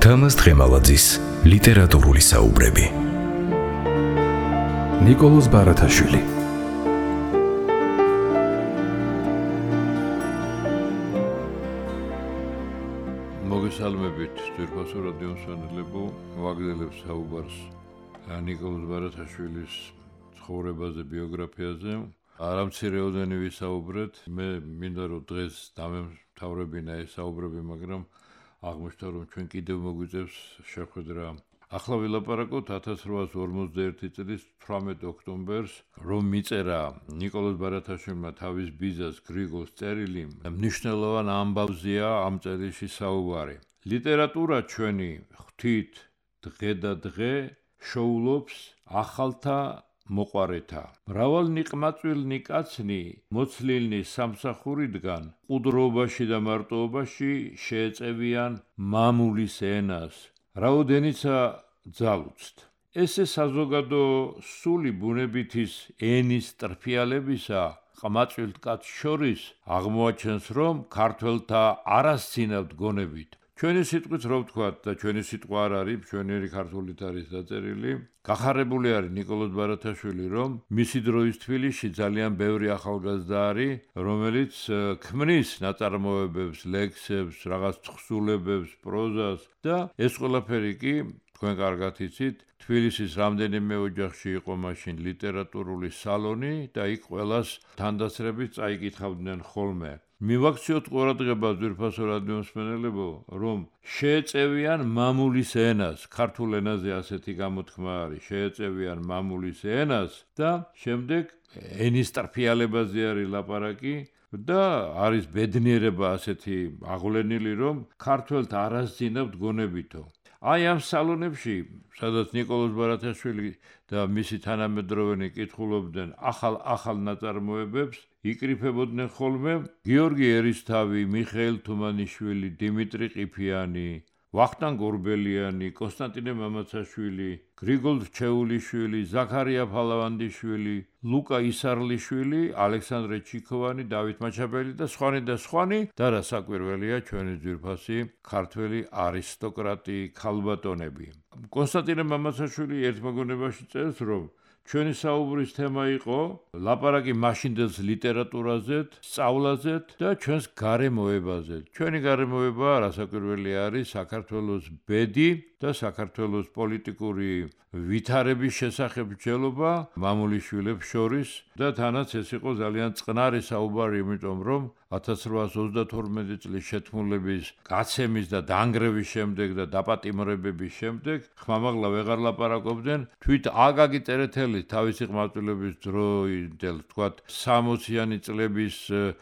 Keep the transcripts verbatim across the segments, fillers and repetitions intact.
თამაზ დღემალაძის ლიტერატურული საუბრები. ნიკოლოზ ბარათაშვილი. მოგესალმებით ძვირფასო რადიო მსმენელებო, ვაგრძელებ საუბარს ნიკოლოზ ბარათაშვილის ცხოვრებაზე, ბიოგრაფიაზე. არამცირეოდენი ვისაუბრეთ, მე მინდა რომ დღეს დამემთავრებინა ეს საუბრები, მაგრამ აღმოჩნდა რომ ჩვენ კიდევ მოგვიწევს შეხვედრა. ახლა ვილაპარაკოთ ათას რვაას ორმოცდაერთი წლის თვრამეტ ოქტომბერს, რომ მიწერა ნიკოლოზ ბარათაშვილმა თავის ბიძას გრიგოლს წერილი, მნიშვნელოვან ამბავზეა ამ წერილში საუბარი. ლიტერატურა ჩვენი ღვთით დღე და დღე შოულობს ახალთა მოყვარეთა. მრავალნიყმაწვილნი კაცნი მოცლილნი სამსახურიდან ყუდრობაში და მარტოობაში შეეწევიან მამულის ენას, რაოდენიცა ძალუცთ. ესე საზოგადო სული ბუნებითის ენის ტრფიალებისა ყმაწვილ კაცს შორის აღმოაჩენს, რომ ქართველთა არასცინავთ გონებით. ჩვენი სიტყვით რო ვთქვათ და ჩვენი სიტყვა არ არის, ჩვენერი ქართულით არის დაწერილი. გახარებული არის ნიკოლოზ ბარათაშვილი, რომ მისი დროის თბილისში ძალიან ბევრი ახალგაზრდა არის, რომელიც ქმნის ნაწარმოებებს, ლექსებს, რაღაც თხზულებებს, პროზას და ეს ყველაფერი კი თქვენ კარგად იცით, თბილისის რამდენიმე ოჯახში იყო მაშინ ლიტერატურული სალონი და იქ ყველას თანდასწრებით წაიკითხავდნენ ხოლმე. მივაქციოთ ყურადღება ძვირფასო რადიო მსმენელებო, რომ შეეწევიან მამულის ენას, ქართულ ენაზე ასეთი გამოთქმა არის, შეეწევიან მამულის ენას და შემდეგ ენის ტრფიალებაზე არის ლაპარაკი და არის ბედნიერება ასეთი აღვლენილი, რომ ქართველთ არასძინავთ გონებითო. აი ამ სალონებში, სადაც ნიკოლოზ ბარათაშვილი და მისი თანამედროვენი კითხულობდნენ ახალ-ახალ ნაწარმოებებს, იკრიფებოდნენ ხოლმე გიორგი ერისთავი, მიხეილ თუმანიშვილი, დიმიტრი ყიფიანი, ვახტანგ ორბელიანი, კონსტანტინე მამაცაშვილი, გრიგოლ რჩეულიშვილი, ზაქარია ფალავანდიშვილი, ლუკა ისარლიშვილი, ალექსანდრე ჩიქოვანი, დავით მაჩაბელი და სხვანი და სხვანი და რა საკვირველია ჩვენი ძვირფასი ქართველი არისტოკრატი ქალბატონები. კონსტანტინე მამაცაშვილი ერთ მოგონებაში წერს, რომ ჩვენი საუბრის თემა იყო ლაპარაკი მაშინდელს ლიტერატურაზეთ, სწავლაზეთ და ჩვენს გარემოებაზეთ. ჩვენი გარემოება რასაკვირველი არის საქართველოს ბედი და საქართველოს პოლიტიკური ვითარების შესახებ მსჯელობა მამულიშვილებს შორის და თანაც ეს იყო ძალიან წყნარი საუბარი, იმიტომ რომ ათას რვაას ოცდათორმეტი წლის შეთქმულების გაცემის და დანგრევის შემდეგ და დაპატიმრებების შემდეგ ხმამაღლა ვეღარ ლაპარაკობდნენ თვით აკაკი წერეთელის თავისი ყმაწვილობის დროინდელ თქვათ სამოციანი წლების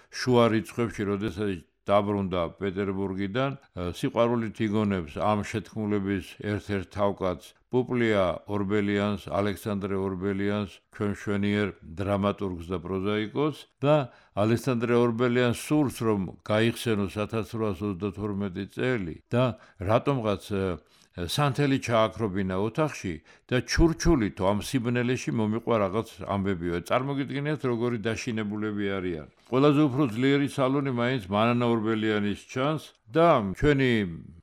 შუა რიცხვებში, როდესაც დაბრუნდა პეტერბურგიდან, სიყვარულით იგონებს ამ შეთქმულების ერთ-ერთ თავკაცს პუპლია ორბელიანს, ალექსანდრე ორბელიანს, ჩვენ მშვენიერ დრამატურგს და პროზაიკოს და ალექსანდრე ორბელიანს სურს, რომ გაიხსენოს ათას რვაას ოცდათორმეტი წელი და რატომღაც სანთელი ჩააქრობინა ოთახში და ჩურჩულითო ამ სიბნელეში მომიყვა რაღაც ამბებიო. წარმოგიდგენიათ როგორი დაშინებულები არიან. ყველაზე უფრო ძლიერი სალონი მაინც მანანა ორბელიანის ჩანს და ჩვენი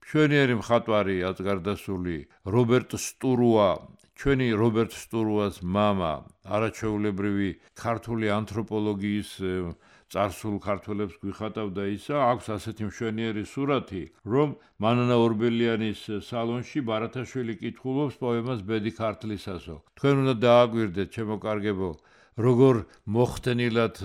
მშვენიერი მხატვარი აწგარდასული რობერტ სტურუა, ჩვენი რობერტ სტურუას მამა, არაჩვეულებრივი ქართული ანთროპოლოგიის წარსულ ქართველებს გვიხატავდა ისა, აქვს ასეთი მშვენიერი სურათი, რომ მანანა ორბელიანის სალონში ბარათაშვილი კითხულობს პოემას ბედი ქართლისასო. თქვენ უნდა დააკვირდეთ, ჩემო კარგებო, როგორ მოხდენილად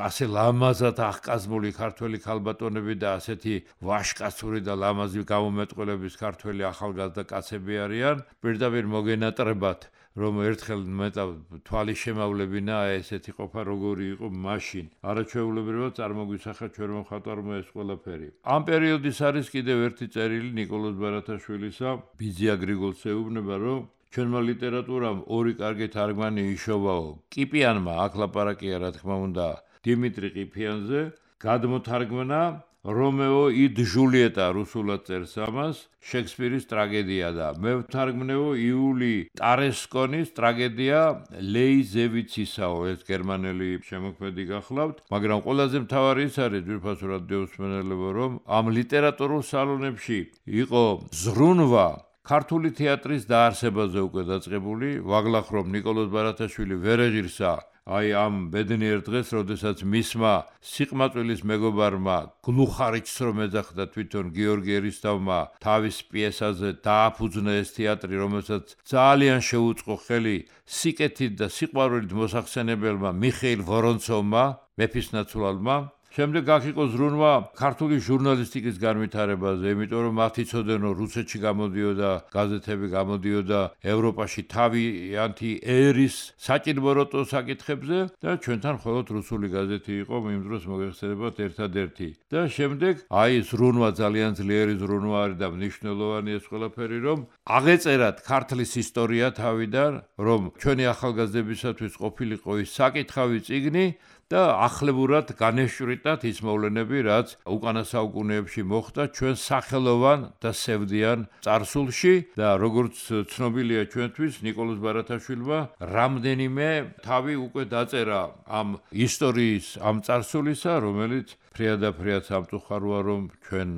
ასე ლამაზად აღკაზმული ქართველი ქალბატონები და ასეთი ვაშკაცური და ლამაზი გამომეტყველების ქართველი ახალგაზრდა კაცები არიან, პირდაპირ მოგენატრებათ, რომ ერთხელ მეტა თვალი შემავლებინა ესეთი ყოფა როგორი იყო მაშინ. არაჩვეულებრივად წარმოგვისახა ჩვენმა მხატვარმა ეს ყველაფერი. ამ პერიოდის არის კიდევ ერთი წერილი ნიკოლოზ ბარათაშვილისა, ბიძია გრიგოლს ეუბნება, რომ ჩვენმა ლიტერატურამ ორი კარგი თარგმანი იშოვაო. ყიფიანმა, აქ ლაპარაკია რა თქმა უნდა დიმიტრი ყიფიანზე, გადმოთარგმნა რომეო ი ჯულიეტა რუსულად წერს ამას, შექსპირის ტრაგედია და მე ვთარგმნეო იული ტარესკონის ტრაგედია ლეიზევიცისაო, ეს გერმანელი შემოქმედი გახლავთ, მაგრამ ყველაზე მთავარი ის არის ძვირფასო რადიოსმენელებო, რომ ამ ლიტერატურულ სალონებში იყო ზრუნვა ქართული თეატრის დაარსებაზე უკვე დაწყებული, ვაგლახრომ ნიკოლოზ ბარათაშვილი ვერ ეღირსა აი ამ ბედნიერ დღეს, როდესაც მისმა სიყმაწვილის მეგობარმა გლუხარიჩს რომ ეძახდა თვითონ გიორგი ერისთავმა თავის პიესაზე დააფუძნა ეს თეატრი, რომელსაც ძალიან შეუწყო ხელი სიკეთით და სიყვარულით მოსახსენებელმა მიხეილ ვორონცოვმა, მეფისნაცვალმა. შემდეგ აქ იყო ზრუნვა ქართული ჟურნალისტიკის განვითარებაზე, იმიტომ რომ მათ იცოდნენ, რომ რუსეთში გამოდიოდა გაზეთები, გამოდიოდა ევროპაში თავიანთი ერის საჭიროებო საკითხებზე და ჩვენთან მხოლოდ რუსული გაზეთი იყო იმ დროს მოგეხსენებათ ერთადერთი. და შემდეგ აი ზრუნვა ძალიან ძლიერი ზრუნვა არის და მნიშვნელოვანი ეს ყველაფერი, რომ აღეწერათ ქართლის ისტორია თავიდან, რომ ჩვენი ახალგაზრდებისათვის ყოფილიყო ის საკითხავი წიგნი და ახლებურად განეშვრიტათ ის მოვლენები, რაც უკანა საუკუნეებში მოხდა ჩვენ სახელოვან და სევდიან წარსულში და როგორც ცნობილია ჩვენთვის, ნიკოლოზ ბარათაშვილმა რამდენიმე თავი უკვე დაწერა ამ ისტორიის, ამ წარსულისა, რომელიც ფრიადაფრიად სამწუხაროა, რომ ჩვენ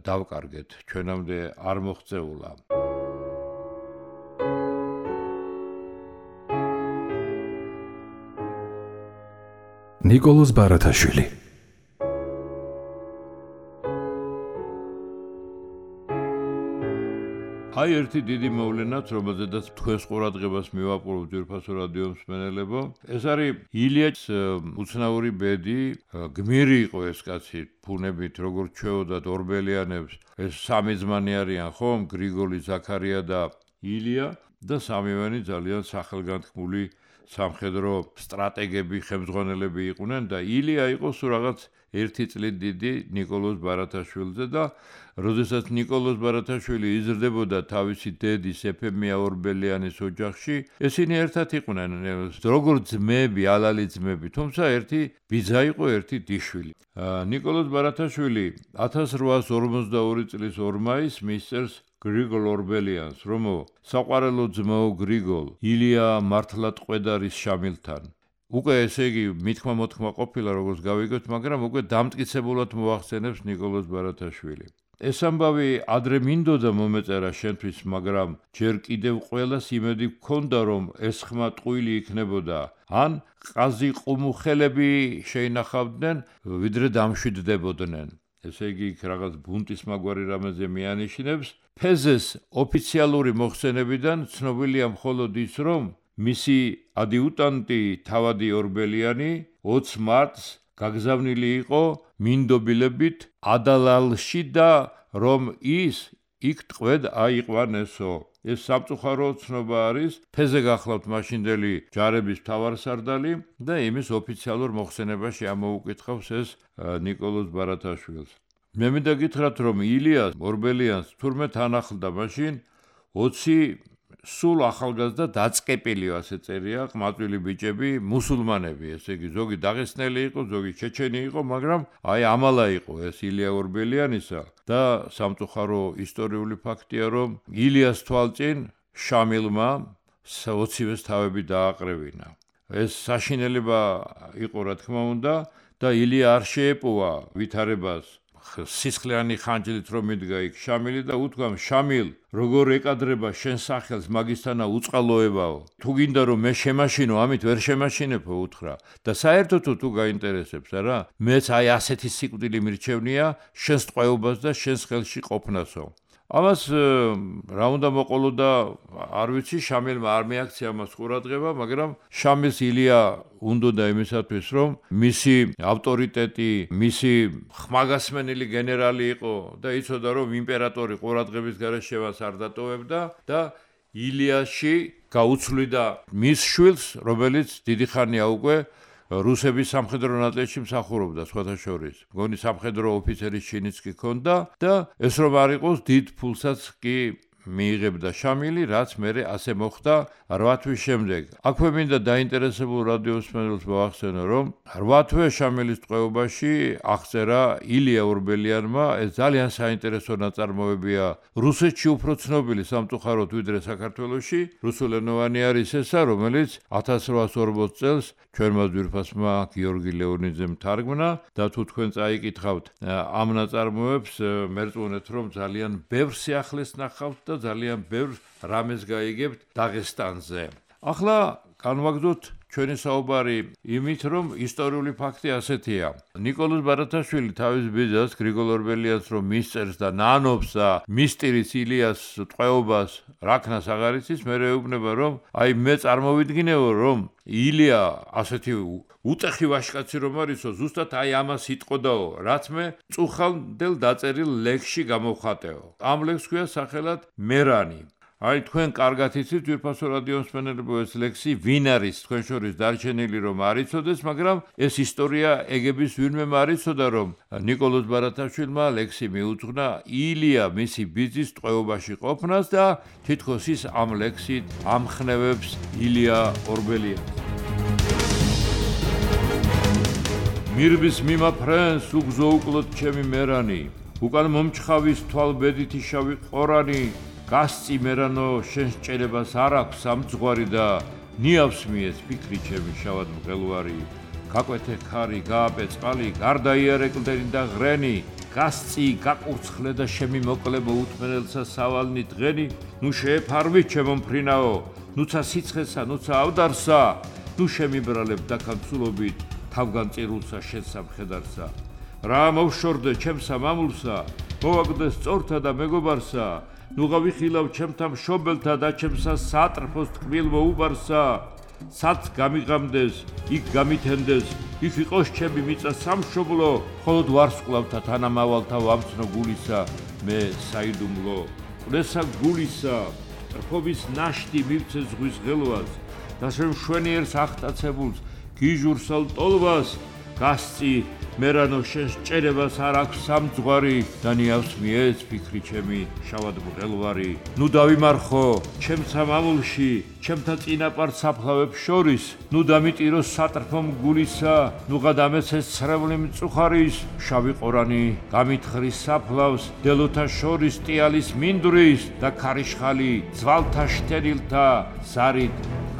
დავკარგეთ, ჩვენამდე არ მოღწეულა. ნიკოლოზ ბარათაშვილი აი ერთი დიდი მოვლენაც, რომელზედაც თქვენს ყურადღებას მივაპყრობ ძვირფასო რადიომსმენელებო, ეს არის ილიას უცნაური ბედი, გმირი იყო ეს კაცი, ფუნებით როგორც ჩვეოდათ ორბელიანებს, ეს სამი ძმანი არიან, ხომ? გრიგოლი, ზაქარია და ილია და სამივენი ძალიან სახელგანთქმული სამხედრო სტრატეგები, ხელმძღვანელები იყვნენ და ილია იყო სულ რაღაც ერთი წლით დიდი ნიკოლოზ ბარათაშვილზე და როდესაც ნიკოლოზ ბარათაშვილი იზრდებოდა თავისი დედის ეფემია ორბელიანის ოჯახში, ესენი ერთად იყვნენ, როგორც ძმები, ალალი ძმები, თუმცა ერთი ბიძა იყო, ერთი დიშვილი. ნიკოლოზ ბარათაშვილი ათას რვაას ორმოცდაორი წლის ორ მაისს მისწერს გრიგოლ ორბელიანს, რომ საყვარელო ძმაო გრიგოლ, ილია მართლად ყვედარის შამილთან. უკვე ესე იგი მithმა მოთქმა ყოფილა, როგორც გავიგოთ, მაგრამ უკვე დამტკიცებულად მოახსენებს ნიკოლოზ ბარათაშვილი. ეს ამბავი ადრე მინდოდა მომეწერა შენთვის, მაგრამ ჯერ კიდევ ყველას იმედი გქონდა, რომ ეს ხმა ტყუილი იქნებოდა, ან ყაზი ყუმუხელები შეინახავდნენ, ვიდრე დამშვიდდებოდნენ. ესე იგი იქ რაღაც ბუნტის მაგვარი რამეზე მიანიშნებს. ფეზეს ოფიციალური მოხსენებიდან ცნობილია მხოლოდ ის, რომ მისი ადიუტანტი თავადი ორბელიანი ოცი მარტს გაგზავნილი იყო მინდობილებით ადალალში და რომ ის იქ ტყვედ აიყვანესო. ეს სამწუხარო ცნობა არის, ფეზე გახლავთ მაშინდელი ჯარების მთავარსარდალი და იმის ოფიციალურ მოხსენებაში ამოუკითხავს ეს ნიკოლოზ ბარათაშვილს. მე მინდა გითხრათ, რომ ილიას ორბელიანს თურმე თან ახლდა მაშინ ოცი სულ ახალგაზრდა დაწყეპილი, ასე წერია, ყმაწვილი ბიჭები, მუსულმანები, ესე იგი ზოგი დაღესტნელი იყო, ზოგი ჩეჩენი იყო, მაგრამ აი ამალა იყო ეს ილია ორბელიანისა და სამწუხარო ისტორიული ფაქტია, რომ ილიას თვალწინ შამილმა ოცივეს თავები დააყრევინა. ეს საშინელება იყო, რა თქმა უნდა, და ილია არ შეეპოვა ვითარებას სისხლიანი ხანჯლით რომ მიდგა იქ შამილი და უთქვამ, შამილ, როგორ ეკადრება შენ სახელს მაგისთანა უწყალოებაო. თუ გინდა რომ მე შემაშინო, ამით ვერ შემაშინებო, უთხრა. და საერთოდ თუ გაინტერესებს, არა? მეც აი ასეთი სიკვდილი მირჩევნია შენს ტყვეობას და შენს ხელში ყოფნასო. ამას რა უნდა მოყოლო და არ ვიცი, შამილმა არ მიაქცია ამას ყურადღება, მაგრამ შამილს ილია უნდოდა იმისათვის, რომ მისი ავტორიტეტი, მისი ხმაგასმენელი გენერალი იყო და იცოდა, რომ იმპერატორი ყურადღების გარეშე მას არ დატოვებდა და ილიაში გაუცვლიდა მის შვილს, რომელიც დიდი ხანია უკვე რუსების სამხედრო ნაწილში მსახურობდა, სხვათა შორის. მგონი სამხედრო ოფიცერის ჩინიც კი ჰქონდა და ეს რომ არ იყოს, დიდ ფულსაც კი მიიღებდა შამილი, რაც მერე ასე მოხდა რვა თვის შემდეგ. აქვე მინდა დაინტერესებულ რადიოსმენელს მოახსენო, რომ რვა თვე შამილის ტყვეობაში აღწერა ილია ორბელიანმა, ეს ძალიან საინტერესო ნაწარმოებია. რუსეთში უფრო ცნობილი სამწუხაროდ ვიდრე საქართველოში, რუსულენოვანი არის ესა, რომელიც ათას რვაას ორმოც წელს ჩვენმა ძვირფასმა გიორგი ლეონიძემ თარგმნა და თუ თქვენ წაიკითხავთ ამ ნაწარმოებს, მერწმუნეთ, რომ ძალიან ბევრ სიახლეს ნახავთ და ძალიან ბევრ რამეს გაიგებთ დაღესტანზე. ახლა განვაგრძოთ ჩვენი საუბარი იმით, რომ ისტორიული ფაქტი ასეთია. ნიკოლოზ ბარათაშვილი თავის ბიძას გრიგოლ ორბელიანს რომ მისწერს და ნანობს და მისტირის ილიას ტყვეობას რაქნას აღარ იცის, მე ეუბნება, რომ აი მე წარმოვიდგინეო, რომ ილია ასეთი უწეხი ვაჟკაცი რომ არისო, ზუსტად აი ამას იტყოდაო, რაც მე წუხალდელ დაწერილ ლექსში გამოვხატეო. ამ ლექსს ქვია სახელად მერანი. აი თქვენ კარგად იცით ძვირფასო რადიოსმენელებო ეს ლექსი ვინ არის თქვენ შორის დარჩენილი რომ არ იცოდეს, მაგრამ ეს ისტორია ეგების ვინმე არ იცოდა, რომ ნიკოლოზ ბარათაშვილმა ლექსი მიუძღვნა ილია მისი ბიძის ტყვეობაში ყოფნას და თითქოს ის ამ ლექსით ამხნევებს ილია ორბელიანს. მირბის მიმაფრენს უგზო უკლოდ ჩემი მერანი, უკან მომჩხავის თვალბედითი შავი ყორანი, გასწი მერანო შენ სჭერებას არ აქვს სამძღვარი და ნიავს მიეც ფიქრი ჩემი შავად მღელვარი. გაკვეთე ხარი, გააპე წყალი, გარდაიარე კლდენი და ღრენი, გასწი, გაკურცხლე და შემი მოკლე მოუთმენელსა სავალნი დღენი, ნუ შეეფარვი ჩემო მფრინაო, ნუცა სიცხესა, ნუცა ავდარსა, ნუ შემიბრალებ დაქანცულობით თავგან წირულსა შენ სამხედარსა. რა მოვშორდე ჩემსა მამულსა, მოვაგდე სწორთა და მეგობარსა, ნუ გავიხილავ ჩემთა მშობელთა და ჩემსა სატრფოს თკბილ მოუბარსა. სად გამიღამდეს, იქ გამითენდეს, იქ იყოს ჩემი მიწა სამშობლო, მხოლოდ ვარსკვლავთა თანამავალთა ვამცნო გულისა, მე საიდუმლო. ყლესა გულისა, რხობის ნაშთი მივცე ზღვის ღელვას, და შენ მშვენიერს ახტაცებულს, გიჟურსალ ტოლვას, გასწი მერანო შენ სჭერებას არ აქვს სამძღვარი და ნიავს მიეც ფიქრი ჩემი შავად მღელვარი. ნუ დავიმარხო ჩემსა მამულში, ჩემთა წინაპარ საფლავებს შორის, ნუ დამიტირო სატრფო მგულისა, ნუ გადამეცეს ცრემლი მწუხარის, შავი ყორანი გამითხრის საფლავს, დელოთა შორის ტიალის მინდვრის და ქარიშხალი ძვალთა შთენილთა ზარით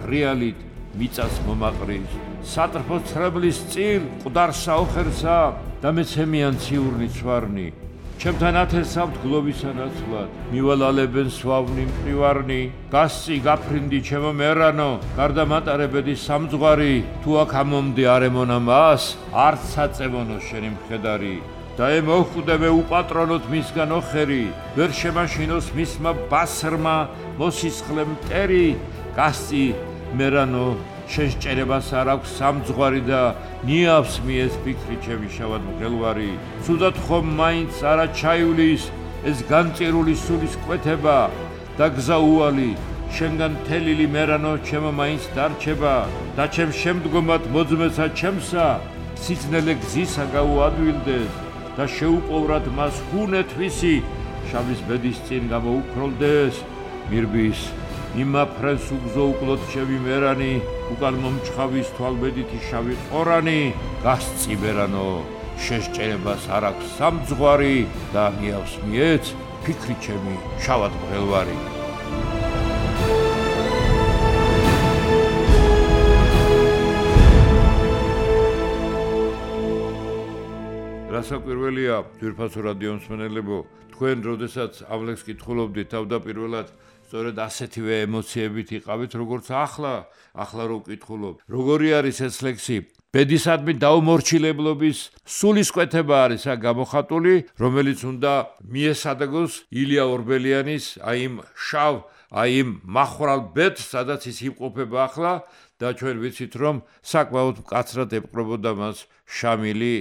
ღრიალით მიწას მომაყრის. სატრფო ცრემლის წილ ყდარსა ოხერსა და მეცემიან ციურნი ცვარნი, ჩემთან ათესავთ გლოვისა ნაცვლად, მივალალებენ სვავნი მყივარნი, გასწი გაფრინდი ჩემო მერანო, გარდა მატარებედი სამძღვარი, თუ აქ ამომდი არემონა მას, არც საწევონო შენი მხედარი. და ე მოხვდე მე უპატრონოთ მისგან ოხერი, ვერ შემაშინოს მისმა ბასრმა მოსისხლე მტერი, გასწი მერანო შენ სჭერებას არ აქვს სამძღვარი და ნიავს მიეც ფიქრი ჩემი შავად მღელვარი. ცუდად ხომ მაინც არა ჩაივლის ეს განწირული სულის კვეთება და გზა უალი შენგან თელილი მერანო ჩემო მაინც დარჩება და ჩემ შემდგომად მოძმესა ჩემსა სიძნელე გზისა გაუადვილდეს და შეუპოვრად მას ჰუნეთვისი შავის ბედის წინ გამოუფროლდეს. მირბის იმაფრენს უგზო უკლოდ ჩემი მერანი, უკან მომჩხავის თვალბედითი შავი ყორანი, გასწი მერანო შენ სჭერებას არ აქვს სამძღვარი და ნიავს მიეც ფიქრი ჩემი შავად მღელვარი. რასაკვირველია, ძვირფასო რადიომსმენელებო, თქვენ როდესაც ამ ლექსს კითხულობდით, თავდაპირველად სწორედ ასეთივე ემოციებით იყავით, როგორც ახლა, ახლა რო ვკითხულობ. როგორი არის ეს ლექსი? ბედისადმი დაუმორჩილებლობის სულისკვეთება არის აქ გამოხატული, რომელიც უნდა მიესადაგოს ილია ორბელიანის აი იმ შავ, აი იმ მახვრალ ბედს, სადაც ის იმყოფება ახლა და ჩვენ ვიცით, რომ საკმაოდ მკაცრად ეპყრობოდა მას შამილი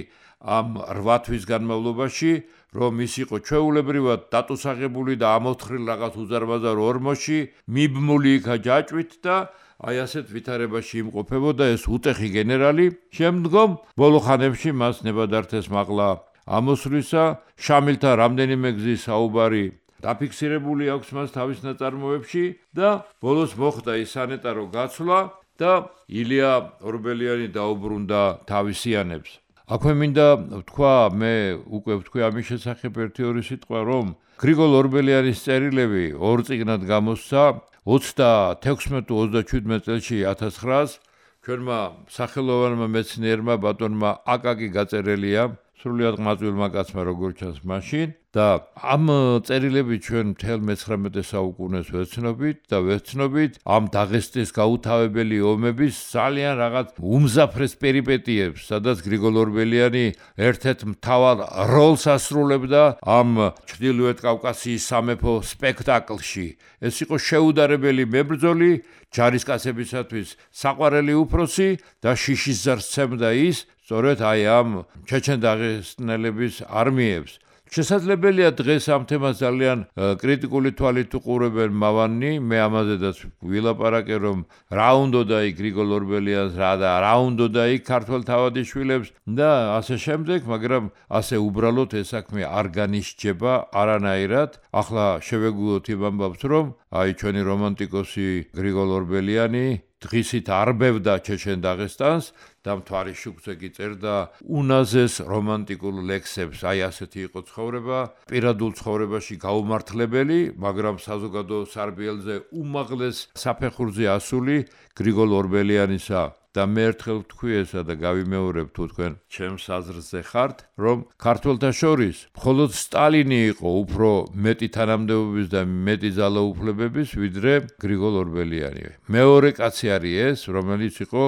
ამ რვა თვის განმავლობაში, რომ ის იყო ჩვეულებრივად დატუსაღებული და ამოთხრილ რაღაც უზარმაზარ ორმოში, მიბმული იქა ჯაჭვით და აი ასეთ ვითარებაში იმყოფებოდა ეს უტეხი გენერალი. შემდგომ ბოლო ხანებში მას ნებადართეს მაღლა ამოსვლისა, შამილთან რამდენიმე გზის საუბარი დაფიქსირებული აქვს მას თავის ნაწარმოებში და ბოლოს მოხდა ის სანეტარო გაცვლა და ილია ორბელიანი დაუბრუნდა თავისიანებს. აქვე მინდა ვთქვა, მე უკვე ვთქვი ამის შესახებ ერთი ორი სიტყვა, რომ გრიგოლ ორბელიანის წერილები ორ წიგნად გამოსცა ოცდათექვსმეტ ოცდაჩვიდმეტ წელში ათას ცხრაას ჩვენმა სახელოვანმა მეცნიერმა ბატონმა აკაკი გაწერელია სრულიად ყმაწვილმა კაცმა როგორც ჩანს მაშინ და ამ წერილები ჩვენ მთელ მეცხრამეტე საუკუნეს ვეცნობით და ვეცნობით ამ დაღესტნის გაუთავებელი ომების ძალიან რაღაც უმზაფრეს პერიპეტიებს, სადაც გრიგოლ ორბელიანი ერთ-ერთ მთავარ როლს ასრულებდა ამ ჩრდილოეთ კავკასიის სამეფო სპექტაკლში. ეს იყო შეუდარებელი მებრძოლი, ჯარისკაცებისათვის საყვარელი უფროსი და შიშის ზარს სცემდა ის, სწორედ აი ამ ჩეჩენ-დაღესტნელების არმიებს. შესაძლებელია დღეს ამ თემას ძალიან კრიტიკული თვალით უყურებენ მავანი, მე ამაზედაც ვილაპარაკე, რომ რა უნდოდა იქ გრიგოლ ორბელიანს რა და რა უნდოდა იქ ქართველ თავადიშვილებს და ასე შემდეგ, მაგრამ ასე უბრალოდ ეს საქმე არ განისჯება არანაირად. ახლა შევეგუოთ იმ ამბავს, რომ აი ჩვენი რომანტიკოსი გრიგოლ ორბელიანი დღისით არბევდა ჩეჩენ-დაღესტანს და მთვარის შუქზე კი წერდა უნაზეს რომანტიკულ ლექსებს. აი ასეთი იყო ცხოვრება, პირადულ ცხოვრებაში გაუმართლებელი, მაგრამ საზოგადო სარბიელზე უმაღლეს საფეხურზე ასული გრიგოლ ორბელიანისა. და მე ერთხელ ვთქვი ესა და გავიმეორებ თუ თქვენ ჩემს აზრზე ხართ, რომ ქართველთა შორის მხოლოდ სტალინი იყო უფრო მეტი თანამდებობის და მეტი ძალაუფლებების, ვიდრე გრიგოლ ორბელიანი. მეორე კაცი არის ეს, რომელიც იყო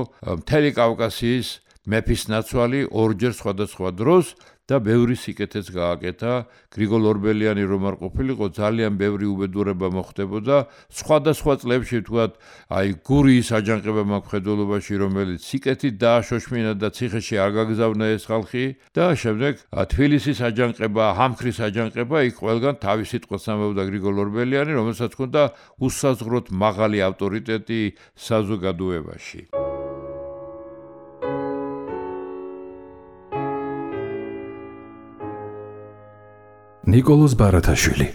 მთელი კავკასიის მეფის ნაცვალი ორჯერ სხვადასხვა დროს და ბევრი სიკეთეც გააკეთა. გრიგოლ ორბელიანი რომ არ ყოფილიყო, ძალიან ბევრი უბედურება მოხდებოდა. სხვადასხვა წლებში თქვათ, აი გურიის აჯანყება მაქვს ხედველობაში, რომელიც სიკეთით დააშოშმინა და ციხეში არ გაგზავნა ეს ხალხი და შემდეგ თბილისის აჯანყება, ჰამქრის აჯანყება, იქ ყველგან თავის სიტყვას ამბობდა გრიგოლ ორბელიანი, რომელსაც ჰქონდა უსაზღვროდ მაღალი ავტორიტეტი საზოგადოებაში. ნიკოლოზ ბარათაშვილი.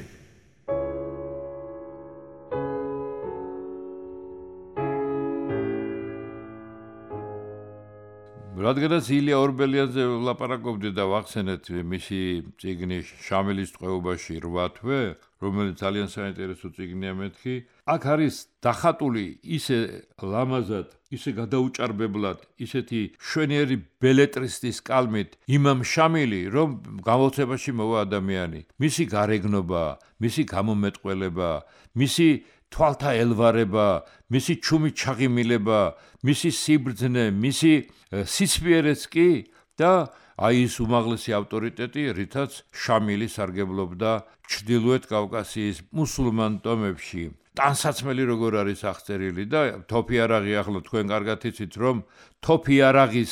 რადგანაც ილია ორბელიანზე ვლაპარაკობდი და ვახსენეთ მისი წიგნი შამილის ტყვეობაში რვა თვე, რომელიც ძალიან საინტერესო წიგნია მეთქი, აქ არის დახატული ისე ლამაზად, ისე გადაუჭარბებლად, ისეთი შვენიერი ბელეტრისტის კალმით იმამ შამილი, რომ გამოცემაში მოვა ადამიანი. მისი გარეგნობა, მისი გამომეტყველება, მისი თვალთა ელვარება, მისი ჩუმი ჩაღიმილება, მისი სიბრძნე, მისი სიცვიერეც კი და აი ის უმაღლესი ავტორიტეტი, რითაც შამილი სარგებლობდა ჩრდილოეთ კავკასიის მუსულმან ტომებში. ტანსაცმელი როგორ არის აღწერილი და თოფი არაღი, ახლა თქვენ კარგად იცით, რომ თოფი არაღის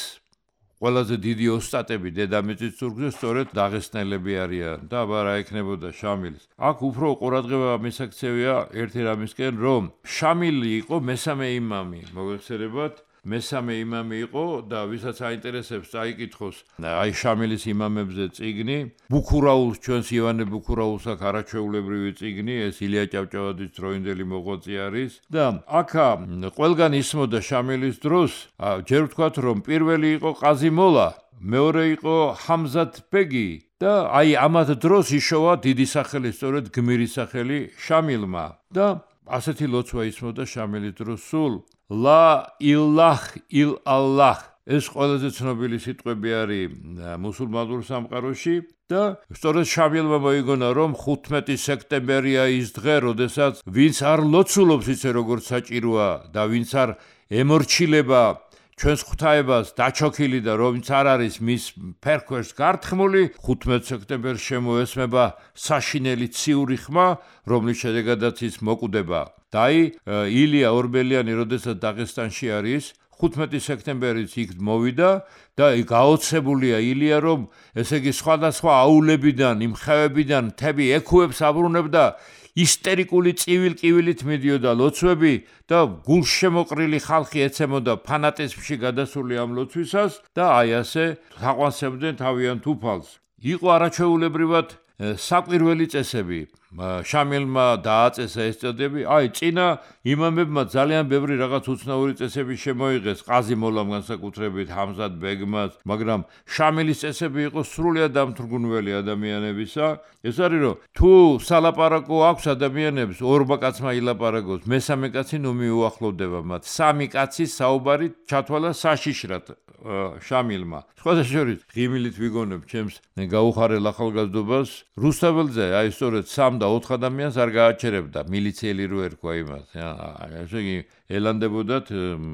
ყველაზე დიდი ოსტატები დედამიწის ზურგზე სწორედ დაღესტნელები არიან და აბა რა ექნებოდა შამილს. აქ უფრო ყურადღება მისაქცევია ერთი რამისკენ, რომ შამილი იყო მესამე იმამი, მოგეხსენებათ, მესამე იმამი იყო და ვისაც აინტერესებს წაიკითხოს აი შამილის იმამებზე წიგნი, ბუქურაულს, ჩვენს ივანე ბუქურაულს აქ არაჩვეულებრივი წიგნი, ეს ილია ჭავჭავაძის დროინდელი მოღვაწე არის და აქა ყველგან ისმოდა შამილის დროს, ჯერ ვთქვათ, რომ პირველი იყო ყაზი მოლა, მეორე იყო ჰამზათ ბეგი და აი ამათ დროს იშოვა დიდი სახელი, სწორედ გმირი სახელი შამილმა და ასეთი ლოცვა ისმოდა შამილის დროს სულ ლა ილაჰ ილ ალლაჰ. ეს ყველაზე ცნობილი სიტყვები არის მუსულმანურ სამყაროში და სწორედ შამილმა მოიგონა, რომ ხუთმეტი სექტემბერია ის დღე, როდესაც ვინც არ ლოცულობს ისე როგორც საჭიროა და ვინც არ ემორჩილება ჩვენს ღვთაებას დაჩოქილი და რომც არ არის მის ფერქვერს გართხმული, ხუთმეტ სექტემბერს შემოესმება საშინელი ციური ხმა, რომლის შედეგადაც ის მოკვდება. და აი ილია ორბელიანი, როდესაც დაღესტანში არის, ხუთმეტი სექტემბერიც იქ მოვიდა და გაოცებულია ილია, რომ ესე იგი სხვადასხვა აულებიდან, იმ ხევებიდან მთები ექუებს აბრუნებდა, ისტერიკული წივილ-კივილით მიდიოდა ლოცვები და გულშემოყრილი ხალხი ეცემოდა ფანატიზმში გადასული ამ ლოცვისას და აი ასე თაყვანსებდნენ თავიანთ უფალს. იყო არაჩვეულებრივად საკვირველი წესები. შამილმა დააწესა ეს წოდები, აი წინა იმამებმა ძალიან ბევრი რაღაც უცნაური წესები შემოიღეს, ყაზი მოლამ განსაკუთრებით ჰამზად ბეგმას, მაგრამ შამილის წესები იყო სრულიად დამთრგუნველი ადამიანებისა. ეს არის რომ თუ სალაპარაკო აქვს ადამიანებს, ორმა კაცმა ილაპარაკოს, მესამე კაცი ნუ მიუახლოვდება მათ. სამი კაცის საუბარი ჩათვალა საშიშრად შამილმა. სხვათა შორის ღიმილით ვიგონებ ჩემს გაუხარელ ახალგაზრდობას, რუსთაველზე აი სწორედ სამ და ოთხ ადამიანს არ გააჩერებდა მილიციელი რო ერქვა იმას. ესე იგი ელანდებოდათ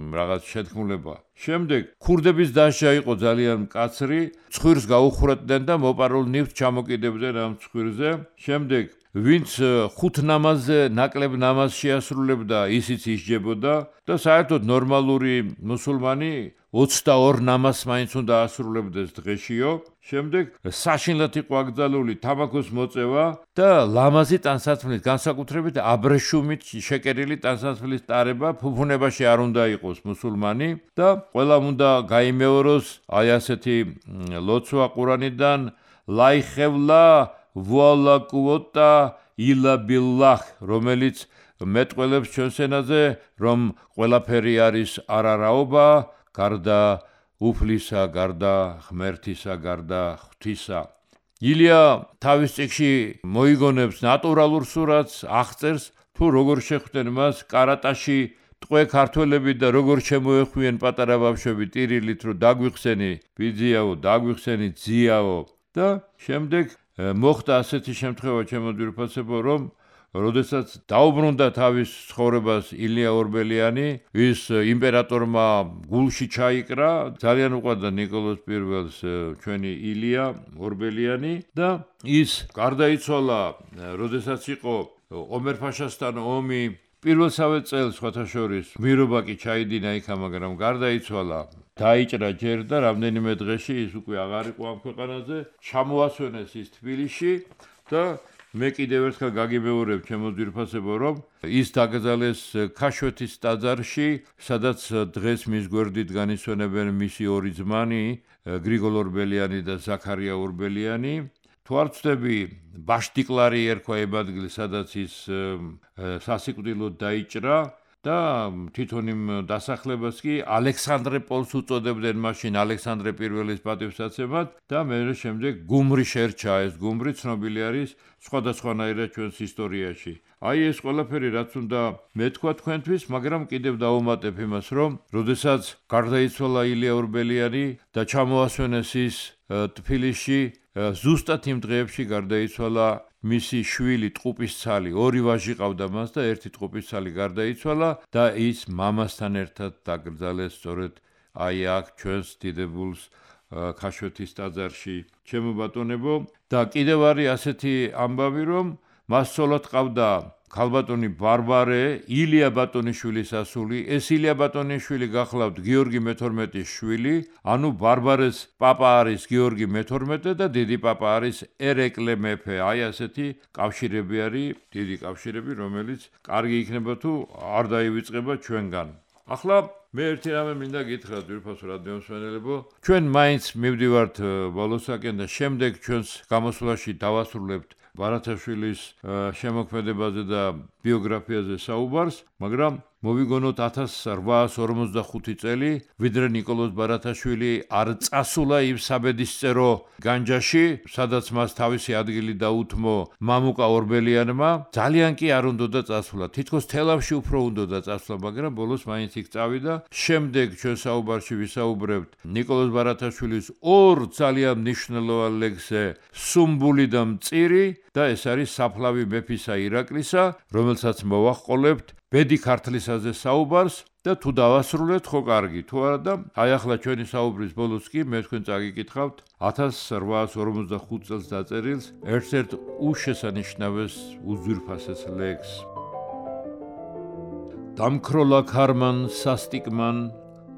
რაღაც შეთქმულება. შემდეგ ქურდების დასჯა იყო ძალიან მკაცრი, ცხვირს გაუხურებდნენ და მოპარულ ნივთს ჩამოკიდებდნენ ამ ცხვირზე. შემდეგ ვინც ხუთ ნამაზზე ნაკლებ ნამაზს შეასრულებდა, ისიც ისჯებოდა და საერთოდ ნორმალური მუსულმანი ოცდაორ ნამაზს მაინც უნდა ასრულებდეს დღეშიო. შემდეგ საშინლად იყო აკრძალული თამაქოს მოწევა და ლამაზი ტანსაცმლის, განსაკუთრებით აბრეშუმით შეკერილი ტანსაცმლის ტარება ფუფუნებაში არ უნდა იყოს მუსულმანი და ყველამ უნდა გაიმეოროს აი ასეთი ლოცვა ყურანიდან ლაიხევლა ვალა კუოტა ილა ბილლაჰ, რომელიც მეტყველებს ჩვენს ენაზე, რომ ყველაფერი არის არარაობა, გარდა უფლისა, გარდა ღმერთისა, გარდა ღვთისა. ილია თავის წიგნში მოიგონებს ნატურალურ სურათს, აღწერს თუ როგორ შეხვდნენ მას კარატაში ტყვე ქართველები და როგორ შემოეხვიენ პატარა ბავშვები ტირილით, რომ დაგვიხსენი ბიძიაო, დაგვიხსენი ძიაო და შემდეგ მოხდა ასეთი შემთხვევა ჩემო ძვირფასებო, რომ როდესაც დაუბრუნდა თავის ცხოვრებას ილია ორბელიანი, ის იმპერატორმა გულში ჩაიკრა, ძალიან უყვარდა ნიკოლოზ პირველს ჩვენი ილია ორბელიანი და ის გარდაიცვალა, როდესაც იყო ომერ-ფაშასთან ომი. პირველსავე წელს სხვათა შორის მირობა კი ჩაიდინა იქა, მაგრამ გარდაიცვალა. დაიჭრა ჯერ და რამდენიმე დღეში ის უკვე აღარ იყო ამ ქვეყანაზე, ჩამოასვენეს ის თბილისში და მე კიდევ ერთხელ გაგიმეორებ ჩემო ძვირფასებო, რომ ის დაკრძალეს ქაშვეთის ტაძარში, სადაც დღეს მის გვერდით განისვენებენ მისი ორი ძმანი, გრიგოლ ორბელიანი და ზაქარია ორბელიანი. თუ არ ვცდები, ბაშტიკლარი ერქვა იმ ადგილი, სადაც ის სასიკვდილოდ დაიჭრა და თვითონ იმ დასახლებას კი ალექსანდრე პოლს უწოდებდნენ მაშინ ალექსანდრე პირველის პატივსაცემად და მე შემდეგ გუმრი შერჩა. ეს გუმრი ცნობილი არის სხვადასხვანაირად ჩვენს ისტორიაში. აი ეს ყველაფერი რაც უნდა მეთქვა თქვენთვის, მაგრამ კიდევ დავუმატებ იმას, რომ როდესაც გარდაიცვალა ილია ორბელიანი და ჩამოასვენეს ის თბილისში, ზუსტად იმ დღეებში გარდაიცვალა მისი შვილი ტყუპისცალი, ორი ვაჟი ყავდა მას და ერთი ტყუპისცალი გარდაიცვალა და ის მამასთან ერთად დაკრძალეს სწორედ აი აქ ჩვენს დიდებულს ქაშვეთის ტაძარში. ჩემო ბატონებო, და კიდევ არის ასეთი ამბავი, რომ მას ცოლად ყავდა ქალბატონი ბარბარე, ილია ბატონიშვილის ასული. ეს ილია ბატონიშვილი გახლავთ გიორგი მეთორმეტის შვილი, ანუ ბარბარეს პაპა არის გიორგი მეთორმეტე და დიდი პაპა არის ერეკლე მეფე. აი ასეთი კავშირები არის, დიდი კავშირები, რომელიც კარგი იქნება თუ არ დაივიწყება ჩვენგან. ახლა მე ერთი რამე მინდა გითხრათ ძვირფასო რადიომსმენელებო, ჩვენ მაინც მივდივართ ბოლოსაკენ და შემდეგ ჩვენს გამოსვლაში დავასრულებთ ბარათაშვილის შემოქმედებაზე და ბიოგრაფიაზე საუბარს, მაგრამ მოვიგონოთ ათას რვაას ორმოცდახუთი წელი, ვიდრე ნიკოლოზ ბარათაშვილი არ წასულა იმ საბედისწერო განჯაში, სადაც მას თავისი ადგილი დაუთმო მამუკა ორბელიანმა, ძალიან კი არ უნდოდა წასულა. თითქოს თელავში უფრო უნდოდა წასულა, მაგრამ ბოლოს მაინც იქ წავიდა. შემდეგ ჩვენ საუბარში ვისაუბრებთ ნიკოლოზ ბარათაშვილის ორ ძალიან მნიშვნელოვან ლექსზე, სუმბული და მწირი და ეს არის საფლავი მეფისა ირაკლისა, რომელსაც მოვაყოლებთ ბედი ქართლისაზე საუბარს და თუ დავასრულეთ, ხო კარგი, თუ არა და აი ახლა ჩვენი საუბრის ბოლოს კი მე თქვენ წაგიკითხავთ ათას რვაას ორმოცდახუთ წელს დაწერილს ერთ-ერთ უშესანიშნავეს უძვირფასეს ლექსს. დამქროლა ქარმან სასტიკმან,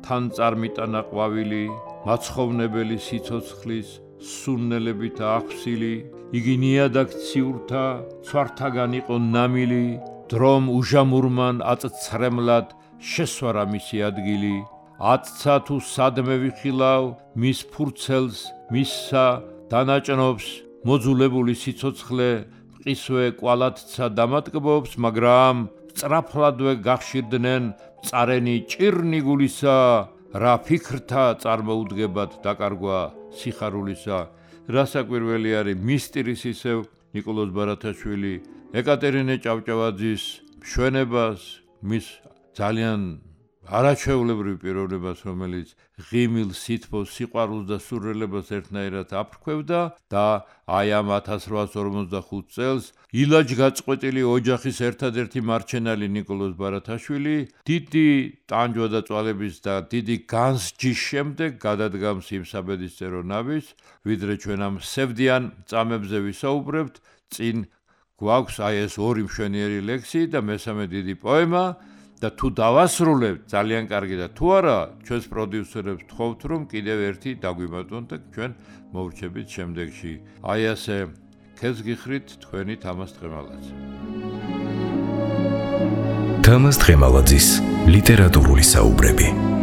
თან წარმიტანა ყვავილი, მაცხოვნებელი სიცოცხლის, სუნნელებით აღსილი, იგი ნიადაგ ციურთა, ცვართაგან იყო ნამილი, დრომ უჟამურმან აწცრემლად შესვარა მისი ადგილი. ათცა თუ სადმე ვიხილავ მის ფურცელს, მისსა დანაჭნობს, მოძულებული სიცოცხლე მყისვე კვალათცა დამატკბობს, მაგრამ სწრაფლადვე გახშირდნენ მწარენი ჭირნიგულისა, რა ფიქრთა წარმოუდგებად დაკარგვა სიხარულისა. რა საკვირველი არის მისტირის ისევ ნიკოლოზ ბარათაშვილი ეკატერინე ჭავჭავაძის მშვენებას, მის ძალიან არაჩვეულებრივ პიროვნებას, რომელიც ღიმილ, სითბოს, სიყვარულს და სურვილებას ერთნაირად აფრქვევდა და აი ამ ათას რვაას ორმოცდახუთ წელს ილაჯ გაწყვეტილი ოჯახის ერთადერთი მარჩენალი ნიკოლოზ ბარათაშვილი დიდი ტანჯვა და წვალების და დიდი განსჯის შემდეგ გადადგამს იმ საბედისწერო ნავის, ვიდრე ჩვენ ამ სევდიან წამებზე ვისაუბრებთ, წინ გვაქვს აი ეს ორი მშვენიერი ლექსი და მესამე დიდი პოემა და თუ დავასრულებთ ძალიან კარგი და თუ არა ჩვენს პროდიუსერებს ვთხოვთ რომ კიდევ ერთი დაგვიმატონ და ჩვენ მოვრჩებით შემდეგში. აი ასე ქეს გიხრით თქვენი თამაზ თხემალაძე. თამაზ თხემალაძის ლიტერატურული საუბრები.